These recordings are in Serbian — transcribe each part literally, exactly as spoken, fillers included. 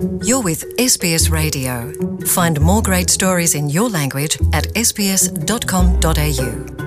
You're with S B S Radio. Find more great stories in your language at s b s dot com dot a u.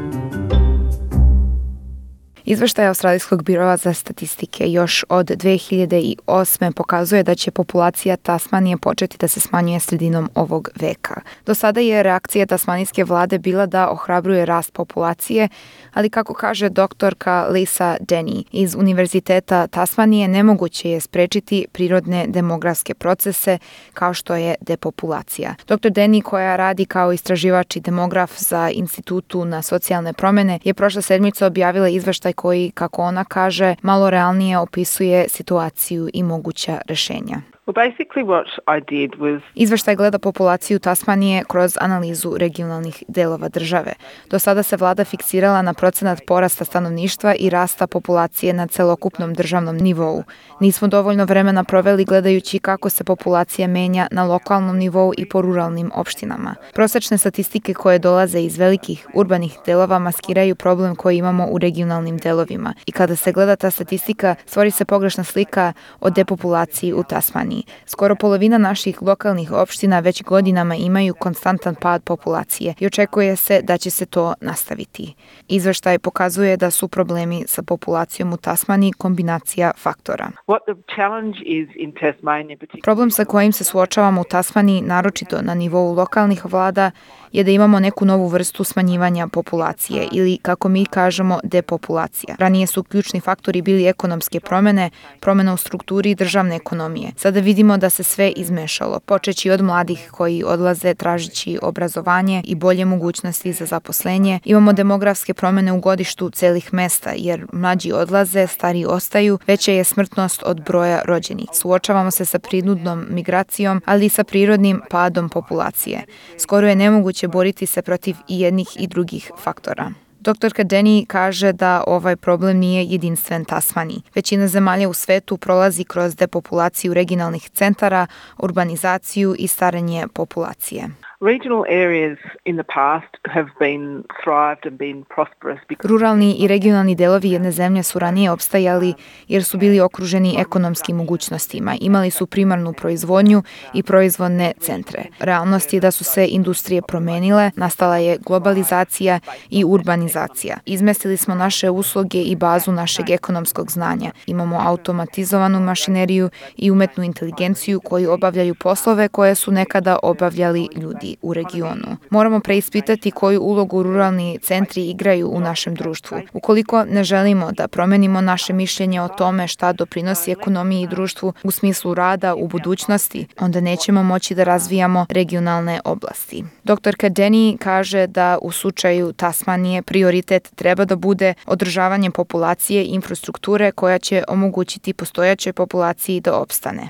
Izveštaj Australijskog biroa za statistike još od dve hiljade osme. pokazuje da će populacija Tasmanije početi da se smanjuje sredinom ovog veka. Do sada je reakcija tasmanijske vlade bila da ohrabruje rast populacije, ali kako kaže doktorka Lisa Denny iz Univerziteta Tasmanije, nemoguće je sprečiti prirodne demografske procese kao što je depopulacija. doktor Denny, koja radi kao istraživač i demograf za Institutu na socijalne promjene, je prošle sedmice objavila izveštaj koji, kako ona kaže, malo realnije opisuje situaciju i moguća rješenja. Well, basically what I did was... Izveštaj gleda populaciju Tasmanije kroz analizu regionalnih delova države. Do sada se vlada fiksirala na procenat porasta stanovništva i rasta populacije na celokupnom državnom nivou. Nismo dovoljno vremena proveli gledajući kako se populacija menja na lokalnom nivou i po ruralnim opštinama. Prosečne statistike koje dolaze iz velikih urbanih delova maskiraju problem koji imamo u regionalnim delovima. I kada se gleda ta statistika, stvori se pogrešna slika o depopulaciji u Tasmaniji. Skoro polovina naših lokalnih opština već godinama imaju konstantan pad populacije i očekuje se da će se to nastaviti. Izveštaj pokazuje da su problemi sa populacijom u Tasmaniji kombinacija faktora. Problem sa kojim se suočavamo u Tasmaniji, naročito na nivou lokalnih vlada, je da imamo neku novu vrstu smanjivanja populacije ili, kako mi kažemo, depopulacija. Ranije su ključni faktori bili ekonomske promjene, promjena u strukturi državne ekonomije. Sada vidimo da se sve izmešalo, počeći od mladih koji odlaze tražići obrazovanje i bolje mogućnosti za zaposlenje. Imamo demografske promjene u godištu celih mesta, jer mlađi odlaze, stariji ostaju, veća je smrtnost od broja rođenih. Suočavamo se sa prinudnom migracijom, ali i sa prirodnim padom populacije. Skoro je nemoguće boriti se protiv i jednih i drugih faktora. Doktorka Denny kaže da ovaj problem nije jedinstven Tasmaniji. Većina zemalja u svetu prolazi kroz depopulaciju regionalnih centara, urbanizaciju i starenje populacije. Regional areas in the past have been thrived and been prosperous because... Ruralni i regionalni delovi jedne zemlje su ranije opstajali jer su bili okruženi ekonomskim mogućnostima. Imali su primarnu proizvodnju i proizvodne centre. Realnost je da su se industrije promenile, nastala je globalizacija i urbanizacija. Izmestili smo naše usluge i bazu našeg ekonomskog znanja. Imamo automatizovanu mašineriju i umetnu inteligenciju koji obavljaju poslove koje su nekada obavljali ljudi u regionu. Moramo preispitati koju ulogu ruralni centri igraju u našem društvu. Ukoliko ne želimo da promenimo naše mišljenje o tome šta doprinosi ekonomiji i društvu u smislu rada u budućnosti, onda nećemo moći da razvijamo regionalne oblasti. Doktorka Denny kaže da u slučaju Tasmanije prioritet treba da bude održavanje populacije i infrastrukture koja će omogućiti postojaćoj populaciji da opstane.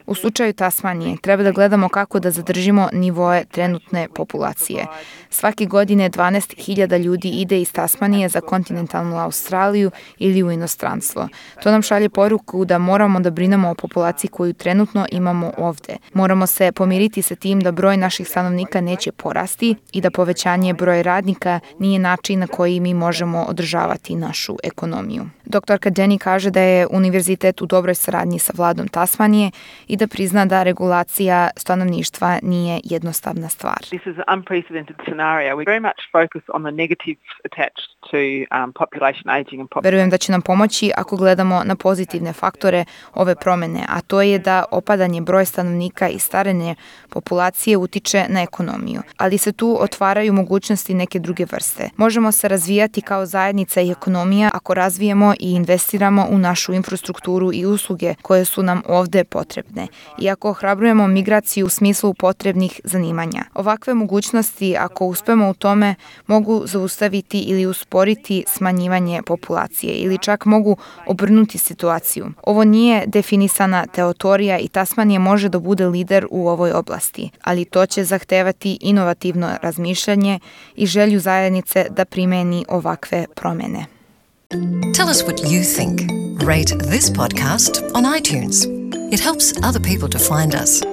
U slučaju Tasmanije treba da gledamo kako da zadržimo nivoe trenutne populacije. Svake godine dvanaest hiljada ljudi ide iz Tasmanije za kontinentalnu Australiju ili u inostranstvo. To nam šalje poruku da moramo da brinemo o populaciji koju trenutno imamo ovde. Moramo se pomiriti sa tim da broj naših stanovnika neće porasti i da povećanje broja radnika nije način na koji mi možemo održavati našu ekonomiju. Doktorka Denny kaže da je univerzitet u dobroj saradnji sa vladom Tasmanije i da prizna da regulacija stanovništva nije jednostavna stvar. This is an unprecedented scenario. We very much focus on the negatives attached to um, population aging and population. Verujem da će nam pomoći ako gledamo na pozitivne faktore ove promjene, a to je da opadanje broja stanovnika i starenje populacije utiče na ekonomiju. Ali se tu otvaraju mogućnosti neke druge vrste. Možemo se razvijati kao zajednica i ekonomija ako razvijemo i investiramo u našu infrastrukturu i usluge koje su nam ovde potrebne. I ako ohrabrujemo migraciju u smislu potrebnih zanimanja. Ovakve mogućnosti, ako uspemo u tome, mogu zaustaviti ili usporiti smanjivanje populacije ili čak mogu obrnuti situaciju. Ovo nije definisana teorija i Tasmanija može da bude lider u ovoj oblasti, ali to će zahtevati inovativno razmišljanje i želju zajednice da primeni ovakve promjene. Tell us what you think. Rate this podcast on iTunes. It helps other people to find us.